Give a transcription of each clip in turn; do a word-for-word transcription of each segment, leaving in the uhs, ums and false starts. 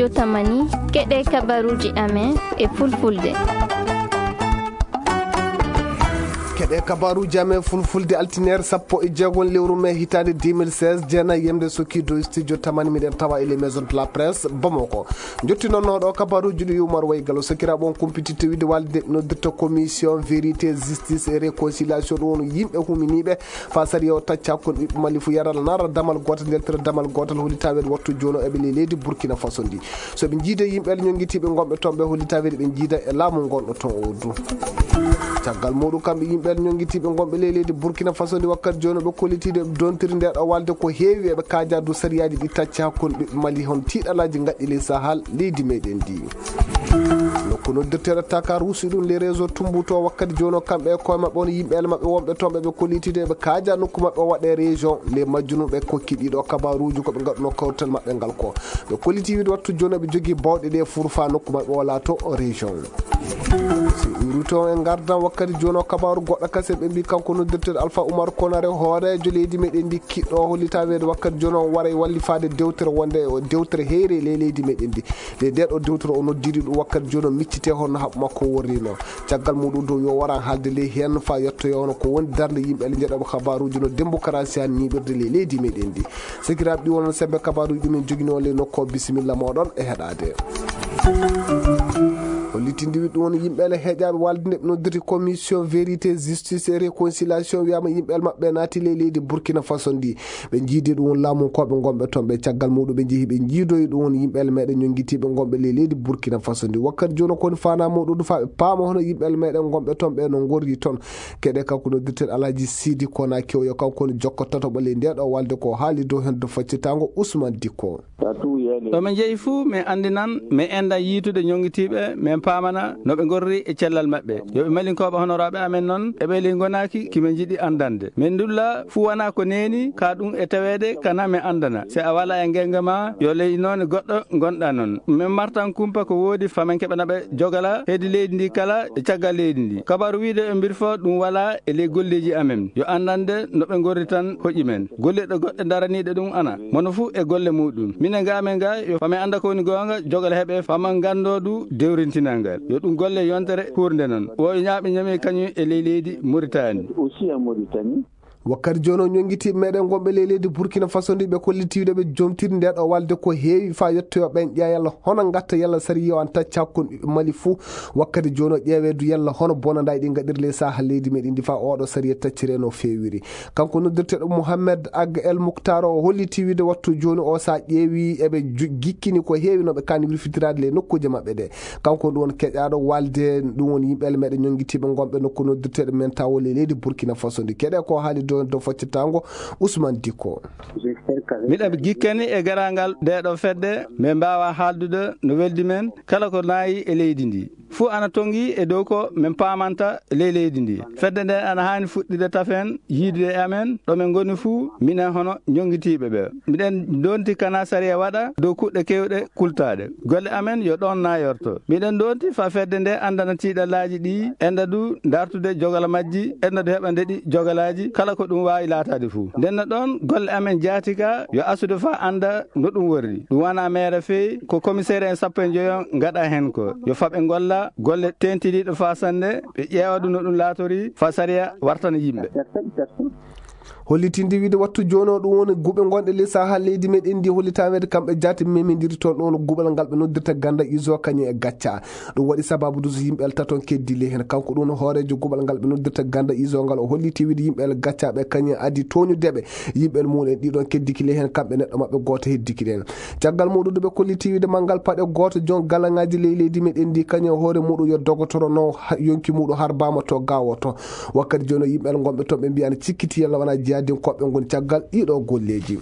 Tamani, keɗe kabaruuji amen e fulfulde. Keɗe kabaruuji amen fulfulde, altineer sappo e jeegom lewru mee hitaande deux mille seize, jeenay yemde sokki dow studio Tamani, miɗen tawa e les maisons de la presse Bamako. Njotti noon ɗo kabaruuji ɗi Umar Waygalo, sakiraaɓe on kumpititte wiide walde noddirta commission vérité, justice et réconciliation, ɗum woni yimɓe huminiiɓe fa sariya o tacca kon ɓiɓɓe Mali fu yaral nara damal gootal, ndeltira damal gootal, holi tawede wattu jooni o eɓe ley leydi Burkina Faso ndi. So ɓe njiide yimɓe ñonngitiiɓe ngonɓe toon ɓe, holi tawede ɓe njiida e laamu ngonɗo toon o du. Caggal muɗum kamɓe yimɓe ñonngitiiɓe ngonɓe ley leydi Burkina Faso ndi, wakkati jooni ɓe kollitiiɗo ɓe dontiri nde ɗo walde ko heewi eɓe kaaja du sariyaaji ɗi tacca kon ɓiɓɓe Mali hon tiiɗalaaji ngaɗɗi ley Sahel leydi meɗen ndi. Nokku noddirteeɗo Taka Ruusi ɗum le réseau Tumbuto wakkati jooni o kamɓe e koye maɓɓe on yimɓe ele maɓɓe wonɓe toon ɓe ɓe kollitiiɗo eɓe kaaja nokku maɓɓe o waɗe région. Le majjunum ɓe kokki ɗiɗo kabaruuji ko ɓe ngaɗuno kawtal maɓɓe ngal ko. Ɓe kolliti wiide wattu jooni ɓe jogii bawɗe ɗe furfa nokku maɓɓe o laato région. Si ɗum ruto en ngardan wakkati jooni o kabaaru goɗɗo kasen ɓe mbi kanko noddirteeɗo Alpha Oumar Konaré hooreejo leydi meɗen ndi kiɗɗo hollitaa weede wakkati jooni o waray wallifaade dewtere wonde o dewtere heyre ley leydi meɗen ndi. Nde nde ɗo dewtere o noddiri ɗum wakkati jooni o miccite hono haɓu makko worrino. Caggal muɗum dow yo waran haalde ley heen fa yettoyo hono ko woni darnde yimɓe ale njeɗoɓe kabaruuji no démocratie han ñiiɓirde ley leydi meɗen ndi. Sakiraaɓe ɗi wonon sembe kabaruuji ɗumen jogino le nokko bisimilla moɗon e heɗade. Hollitinde wi ɗum woni yimɓe ale heƴaɓe walde nde ɓe noddirti commission vérité, justice et réconciliation wiyama yimɓe ale maɓɓe naati ley leydi Burkina Faso ndi. Ɓe jiidi ɗum woni laamu koɓe gonɓe toon ɓe caggal muɗum ɓe jeehi ɓe jiidoyi ɗum woni yimɓe ale meɗen ñonngitiiɓe gonɓe ley leydi Burkina Faso ndi. Wakkati jooni koni fana muɗum ɗum fa ɓe paama hono yimɓe ale meɗen gonɓe toon ɓe no gorri toon. Keɗe kanko noddirten Alhaji Sidi Kona Kewyo kanko woni jokko tataɓo ley nde ɗo walde ko haali dow hen do faccitango Ousmane Dikko. Ɗo min njehi fuu, min anndinan, min enndan yiitude ñoŋngitiiɓe, min paamana no ɓe ngorri e cellal maɓɓe. Yo ɓe malinkooɓe honoraaɓe amen noon, eɓe ley ngonaaki ki min njiɗi anndande. Min ndulla fuu wonaa ko neeni, ka ɗum e taweede, kana min anndana. Si a walaa e ngeñga ma, yo ley noone goɗɗo ngonɗaa noon. Min martan kumpa ko woodi, fa min keɓana ɓe jogala heedi leydi ndi kala e caggal leydi ndi. Kabaru wiide e mbir fo ɗum walaa e ley golleeji amen. Yo anndande no ɓe ngorri tan hoƴi men. Gollirɗe goɗɗe daraniiɗe ɗum ana. Mono fuu e golle muɗum. Minen ga amen ga, yo fa min annda ko woni goonga, jogal heɓe, fa min nganndo du dewrintinal ngal. Yo ɗum golle yontere huurnde noon. O ñaaɓe ñami kañum e ley leydi Mauritanie. Aussi en Mauritanie. Wakkati jooni o ñonngitiiɓe meɗen gonɓe ley leydi Burkina Faso ndi ɓe kollitiiɗo ɓe jomtiri nde ɗo walde ko heewi fa yettoyo ɓen ƴeewa yalla hono ngatta yalla sariya o an tacca kon ɓiɓɓe Mali fuu. Wakkati jooni o ƴeewe du yalla hono bonandaji ɗi ngaɗiri ley saha leydi meɗen ndi fa oɗo sariya taccire no feewiri. Kanko noddirteeɗo Mohamed Ag El Muktar o holliti wiide wattu jooni o sa ƴeewi eɓe ju-, gikkini ko heewi no ɓe kani wirfitiraade ley nokkuuje maɓɓe ɗe. Kanko ɗum woni keƴaaɗo walde, ɗum woni yimɓe ele meɗen ñonngitiiɓe gonɓe nokku noddirteeɗo men tawo ley leydi Burkina Faso ndi. Keɗe ko haali dow, dow faccitango Ousmane Dikko. Miɗa gikkani e garaangal nde ɗo fedde, min mbaawa haaldude no weldi men kala ko naayi e leydi ndi. Fuu ana tongi e dow ko min paamanta ley leydi ndi. Fedde nde ana haani fuɗɗude tafen yiidude e amen, ɗo min ngoni fuu, minen hono ñonngitiiɓe ɓe. Miɗen ndonti kana sariya waɗa dow kuɗɗe kewɗe kultaaɗe. Golle amen yo ɗoon naayorto. Miɗen ndonti fa fedde nde anndana tiiɗallaaji ɗi, enda du dartude jogala majji, enda du heɓa ndeɗi jogalaaji, kala ko ɗum waawi laataade fuu. Ndenno ɗoon golle amen jaati ka yo asude fa annda no ɗum worri. Ɗum wona meere fey, ko komiseer en sappo e njoyo ngaɗa heen ko. Yo faɓe ngolla golle teentiniiɗe fa sannde, ɓe ƴeewa ɗum no ɗum laatori fa sariya wartana yimɓe. Hollitinde wiide wattu jooni o ɗum woni guɓe gonɗe ley saha leydi meɗen ndi hollitaweede kamɓe jaati memindiri toon ɗum woni guɓal ngal ɓe noddirta ganda iso kañum e gacca. Ɗum waɗi sababu dus yimɓe el taton keddi ley heen. Kanko ɗum woni hooreejo guɓal ngal ɓe noddirta ganda iso ngal o holliti wiide yimɓe el gaccaɓe kañum addi tooñudeɓe. Yimɓe muɗum en ɗiɗon keddiki ley heen, kamɓe neɗɗo maɓɓe gooto heddiki ɗen. Caggal muɗum, ɓe kolliti wiide manngal paɗe gooto jon galaŋaaji ley leydi meɗen ndi, kañum e hoore muɗum yo dogotoro no ha-, yonki muɗum harbaama to gawo to. Wakkati jooni yimɓe gonɓe toon ɓe mbiya ana cikkiti yalla wona jihadinkooɓe ngoni caggal ɗiɗo golleeji.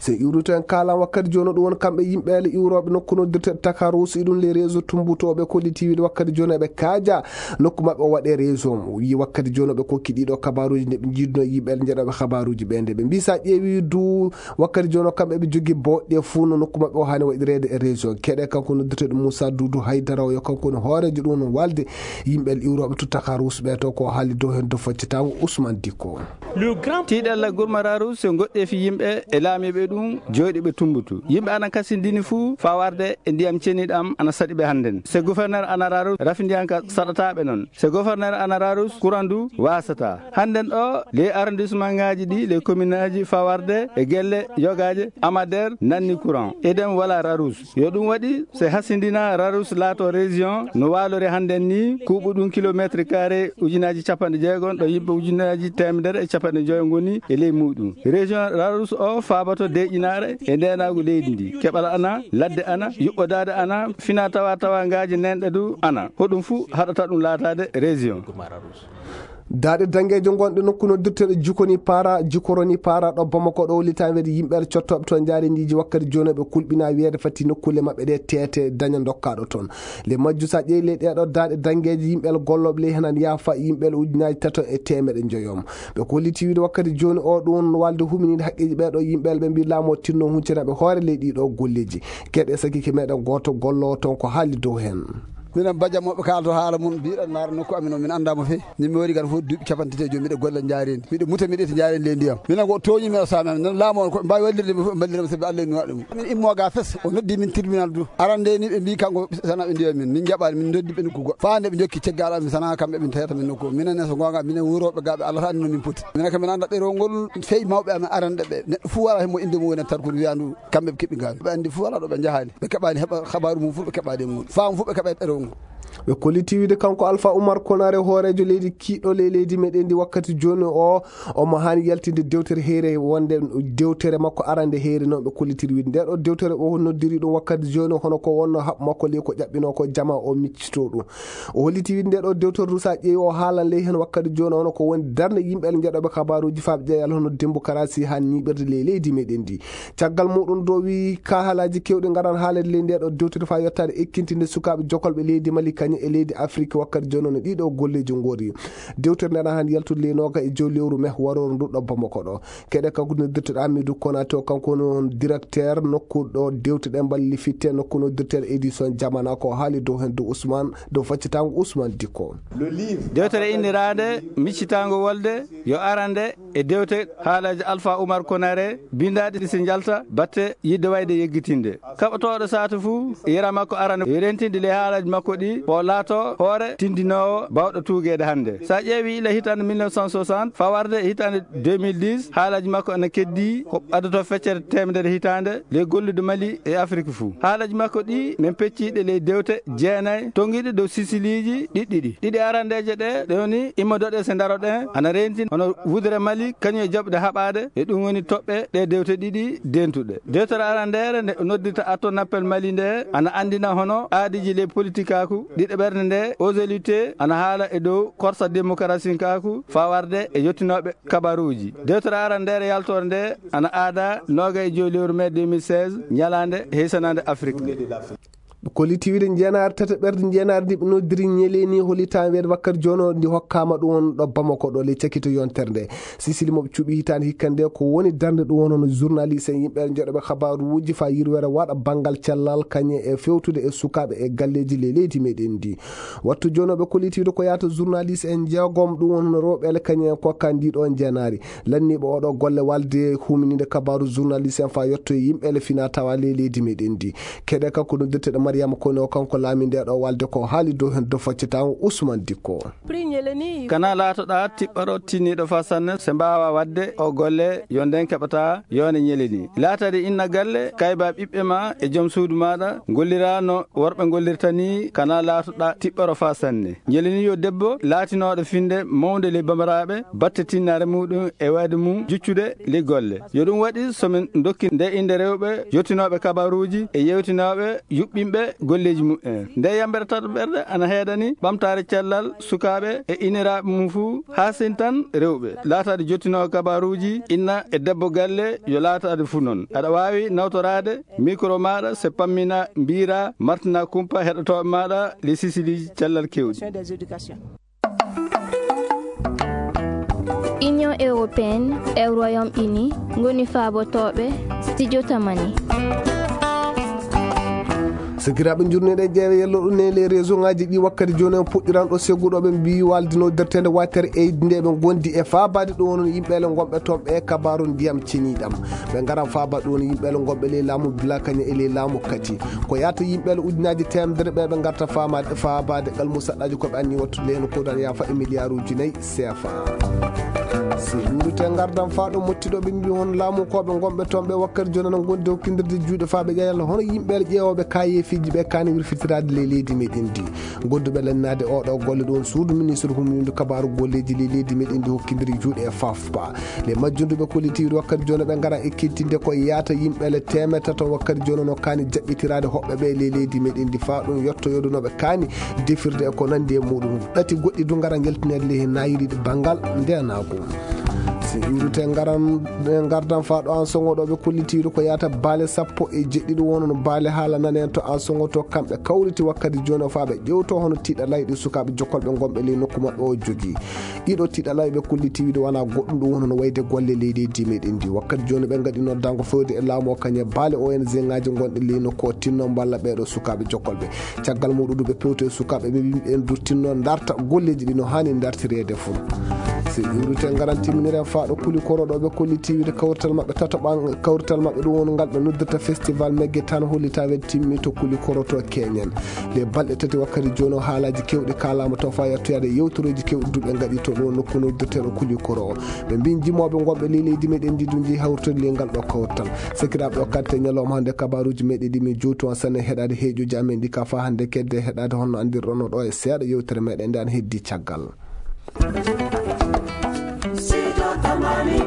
So iwruto en kaalan wakkati jooni ɗum woni kamɓe yimɓe ele iwrooɓe nokku noddirteeɗo Takarus, iɗum le réseau Tumbuto, ɓe kolliti wiide wakkati jooni eɓe kaaja nokku maɓɓe o waɗe réseau. Wi wakkati jooni ɓe kokki ɗiɗo kabaruuji nde ɓe jiiduno yimɓe ele njeɗoɓe kabaruuji ɓe nde ɓe mbi sa ƴeewi du wakkati jooni kamɓe ɓe jogii bawɗe fuu no nokku maɓɓe o haani waɗireede e réseau. Keɗe kanko noddirteeɗo Moussa Doudou Haydara o yo kanko woni hooreejo ɗum no walde yimɓe ele iwrooɓe to Takarus ɓe to ko haali dow heen do faccitaango Ousmane Dikko. Tiiɗalla gurmaraaru so goɗɗeefi yimɓe e laamiiɓe E ɗum jooɗi ɓe tumbutu. Yimɓe ana kasindini fuu faa warde e ndiyam ceniiɗo am ana saɗi ɓe hannden. Se gouverneur ana raru, rafindiyanka saɗataa ɓe non. Se gouverneur ana raru, kuran du waasataa. Hannden ɗo, ley arrondissementŋaaji ɗi, ley kominaaji faa warde e gelle yogaaje, Amader nanni kuran. Edem wala rarus. Yo ɗum waɗi, se hasindina rarus laato région, no waalori hannden ni, kuuɓu ɗum kilometre carré ujunaaji capanɗe jeegom, ɗo yimɓe ujunaaji teemedere e capanɗe joyo ngoni e ley muuɗum. Région rarus o faaboto deeƴinaare e ndeenaagu leydi ndi. Keɓal ana, ladde ana, yuɓɓodaade ana, fina tawa tawangaaji nenɗe du ana. Hoɗum fuu haɗata ɗum laataade région. Daaɗe daŋgeejo ngonɗe nokku noddirteeɗo Jikoni Paara, Jikoroni Paara ɗo Bamako ɗo, hollitaa wiyeede yimɓe cottooɓe toon njaareendiiji wakkati jooni ɓe kulɓinaa wiyeede fati nokkuule maɓɓe ɗe teete daña ndokkaaɗo toon. Ley majju, so a ƴeewi ley ɗee ɗo daaɗe daŋgeeje, yimɓe gollooɓe ley heen ana yaafa yimɓe ujunaaji tato e teemeɗe njoyo. Ɓe kolliti wiyeede wakkati jooni o ɗum won walde huminiiɗo haqqeeji ɓee ɗo yimɓe ɓe mbii laamu o tinno huncinaɓe hoore ley ɗii ɗo golleeji. Keɗe sakike meɗen gooto golloowo toon ko haali dow heen. Minen bajam moɓe kaalto haala mum, mbiɗa ndaara nokku amin o, min anndaa mo feewi. Min mi wari kan fof duuɓi capanɗe tati e joyi, miɗa golla njaareendi. Miɗa muta, miɗa ƴetta njaareendi ley ndiyam. Minen ko tooñi mi o saami amin. Noon laamu on ko mbaawi wallirde mi fof, mballira mi sabi Allah en waɗa ɗum. Min immo ga fes, o noddi min tribunal du. Arande ni ɓe mbii kanko sana ɓe ndiya min. Min njaɓaani, min noddi ɓe nokku goɗɗo. Faa nde ɓe njokki ceggal amin sana kamɓe ɓe tawata min nokku. Minen ne so goonga, minen wurooɓe ga ɓe Allah sa anndino min poti. Minen kam min annda ɗerewol ngol, feewi mawɓe amin arande ɓe. Neɗɗo fuu wala hemmo innde mum woni tarkude wiyandu kamɓe ɓe keɓi ngaari. Ɓe anndi fuu alaa ɗo ɓe njahaani. Ɓe keɓaani heɓa kabaaru mum fuu, ɓe keɓaade e mum. Faamu fuu ɓe keɓa e ɗerewol ngol. Ɓe kolliti wiide kanko Alpha Oumar Konaré, hooreejo leydi kiiɗɗo ley leydi meɗen ndi wakkati jooni o, omo haani yaltinde dewtere heere wonde dewtere makko arande heere noon ɓe kollitiri wiide. Nde ɗo dewtere o noddiri ɗum wakkati jooni hono ko wonno haɓ makko ley ko ƴaɓɓinoo ko jama o miccitoo ɗum. O holliti wiide nde ɗo dewtere du so a ƴeewi o haalan ley heen wakkati jooni hono ko woni darnde yimɓe njeɗooɓe kabaaruuji faaɓe ƴeeyal hono Dembokarasi haa ñiiɓirde ley leydi meɗen ndi. Caggal muɗum do wi ka haalaaji keewɗi ngaran haalede ley nde ɗo dewtere faa yottaade ekkintinde sukaaɓe jokolɓe leydi Mali kañum e leydi Afrik wakkati jooni no ɗiɗo golleeji ngori. Dewtere nde ana haan yaltude ley nooga e jowi lewru me warooru ndu ɗo Bamako ɗo. Keɗe kanko noddirteɗo Amidou Konaté o, kanko woni on directeur nokku ɗo dewte ɗe mballi fitte nokku noddirteɗo édition Jamana ko haali dow heen dow Ousmane, dow faccitaango Ousmane Dikko. Dewtere inniraande Miccitaango Wolde yo arande e dewte haalaaji Alpha Oumar Konaré, binndaaɗi ɗi si njalta batte yiɗde wayde yeggitinde. Kaɓotooɗo saatu fuu, yera makko arande yo rentinde ley haalaaji makko ɗi, o laato hoore tindinoowo baawɗo tuugeede hannde. So a ƴeewi ila hitaande mille neuf cent soixante, faa warde e hitaande deux mille dix, haalaaji makko ana keddii ko addoto feccere teemedere hitaande ley gollude Mali e Afrik fuu. Haalaaji makko ɗi, min peccii ɗe ley dewte jeenay, tonngiiɗe dow sisiliiji ɗiɗɗiɗi. Ɗiɗi arandeeje ɗe, ɗe woni immodoɗen se ndaroɗen, ana reentin hono wudere Mali, kañum e jaɓude haɓaade, e ɗum woni toɓɓe ɗe dewte ɗiɗi dentuɗe. Dewtere arandeere nde noddirta Atto Nappel Mali nde, ana anndina hono aadiiji ley politikaaku, ɗiɗaɓerde nde, Ozelite, ana haala e dow korsa demokarasinkaaku, faa warde e yottinooɓe kabaruuji. Dewtere arandeere yaltoore nde, ana aada nooga e jowi lewru mee deux mille seize, ñalaande heysanaande Afrik nde. Kolliti wiide njeenaari tataɓerde njeenaari ndi ɓe noddiri ñeleeni hollitaa weedo wakkati jooni o ndi hokkaama ɗum won ɗo Bamako ɗo ley cakito yontere nde. Sisili mo ɓe cuɓi hitaande hikka nde ko woni darnde ɗum won hono journaliste en yimɓe njoɗoɓe kabaaruuji faa yirwere waɗa banngal cellal kañe e fewtude e sukaaɓe e galleeji ley leydi meɗen ndi. Wattu jooni o ɓe kolliti wiide ko yaata journaliste en jeegom ɗum won hono rewɓe ele kañe en kokka ndi ɗo njeenaari. Lanniiɓe oɗo golle walde humininde kabaaru journaliste en faa yotto e yimɓe ele fina tawa ley leydi meɗen ndi. Keɗe kanko noddirteɗo Mariama Kone o, kanko laami nde ɗo walde ko haali dow heen dow faccitaango Ousmane Dikko. Kana laatoɗaa tiɓɓaro tinniiɗo faa sanne se mbaawa waɗde o golle yo nden keɓata yoone ñeleni. Laatade inna galle, kayba ɓiɓɓe ma e jom suudu maaɗa ngollira no worɓe ngollirta ni, kana laatoɗaa tiɓɓaro faa sanne. Ñeleni yo debbo laatinooɗo finde mawnde ley bamaraaɓe batte tinnaare muɗum e wayde mum juccude ley golle. Yo ɗum waɗi so min ndokki nde innde rewɓe yottinooɓe kabaruuji e yewtinooɓe yuɓɓinɓe golleeji muɓɓen. Nde yambere tataɓerde ana heedani ɓamtaare cellal sukaaɓe e iniraaɓe mum fuu, haa sintan rewɓe. Laataade jottinoowo kabaruuji, inna e debbo galle, yo laataade fuu noon. Aɗa waawi nawtoraade mikro maaɗa, se pammina, mbiira, martina kumpa heɗotooɓe maaɗa, les sisiliiji cellal keewɗi. Union européenne e Royaume-Uni ngoni faabotooɓe Studio Tamani. Sakiraaɓe, njurneɗe ƴeewe yello ɗum ne les réseau ngaji ɗi wakkati jooni on puɗɗiran ɗo segguɗo ɓe mbi waldino dertende watere eydi nde ɓe gondi e faabaade ɗum wonno yimɓe le gonɓe toon ɓe kabaru ndiyam ceniɗam. Ɓe ngaran faaba ɗum wonno yimɓe le gonɓe le laamu bilakañe e le laamu kati. Ko yaata yimɓe le ujunaji temedere ɓe ɓe ngarta faamaade faabaade gal musaɗɗaji ko ɓe anni wattu le no kodan yafa e milliard uji nayi C F A. Si ɗuɗu te ngardan faa ɗo mottiɗo ɓe mbi hon laamu ko ɓe gonɓe toon ɓe wakkati jooni no gondi hokkindirde juuɗe faa ɓe ƴeewa hono yimɓe le ƴeewooɓe kayeefiiji ɓe kaani wirfitiraade le leydi meɗen ndi. Godduɓe lannaade oɗo golle ɗon suudu ministre humnindu kabaaru golleeji le leydi meɗen ndi hokkindiri juuɗe e fafpa. Le majjunduɓe kollitiiru wakkati jooni ɓe ngara ekkitinde ko yaata yimɓe le teemedere tato wakkati jooni no kaani jaɓɓitiraade hoɓɓe ɓe le leydi meɗen ndi faa ɗum yottoyoodu no ɓe kaani defirde e ko nandi e muɗum. Ɗati goɗɗi du ngara ngeltineede le he nayiriɗi banngal ndenaagu. Si ɗuɗu te ngaran, ngardan faa ɗo an songo ɗo ɓe kollitiiru ko yaata baale sappo e jeɗɗiɗi wono no baale haala nanen to an songo to kamɓe kawriti wakkati jooni o faa ɓe ƴewto hono tiiɗa layɗi sukaaɓe jokkolɓe gonɓe ley nokku maɓɓe o jogii. Ɗiɗo tiiɗa layɓe kollitiiwi ɗo wana goɗɗum ɗum wono no wayde golle leydi meɗen ndi. Wakkati jooni ɓe ngaɗi noddango fewde e laamu o kañe baale O N G ngaji gonɗi ley nokku o tinno mballa ɓeɗo sukaaɓe jokkolɓe. Caggal muɗum ɓe pewto e sukaaɓe ɓe yimɓe en du tinno darta golleji ɗi no hani dartireede fuu. Si ɗuɗu te ngaran timminiren faa ɗo kuli koro ɗo ɓe kollitiiwi de kawrital maɓɓe tatoɓan kawrital maɓɓe ɗum woni ngal ɓe noddirta festival megge tan hollita wel timmi to kuli koro to keñen. Le balɗe tati wakkati jooni o haalaaji kewɗi kaalaama to faa yettoyaade yewtorooji kewɗi du ɓe ngaɗi to ɗo nokku noddirteeɗo kuli koro o. Ɓe mbi jimooɓe gonɓe ley leydi meɗen ndi du njehi hawritorde ley ngal ɗo kawrital. Sakiraaɓe o karte ñalawma hannde kabaaruuji meɗen ɗi min jowtu on sanne heɗaade heeƴuuji amen ɗi ka faa hannde kedde heɗaade honno anndirɗon no ɗo e seeɗa yewtere meɗen nde an heddi caggal. Sido Tamani.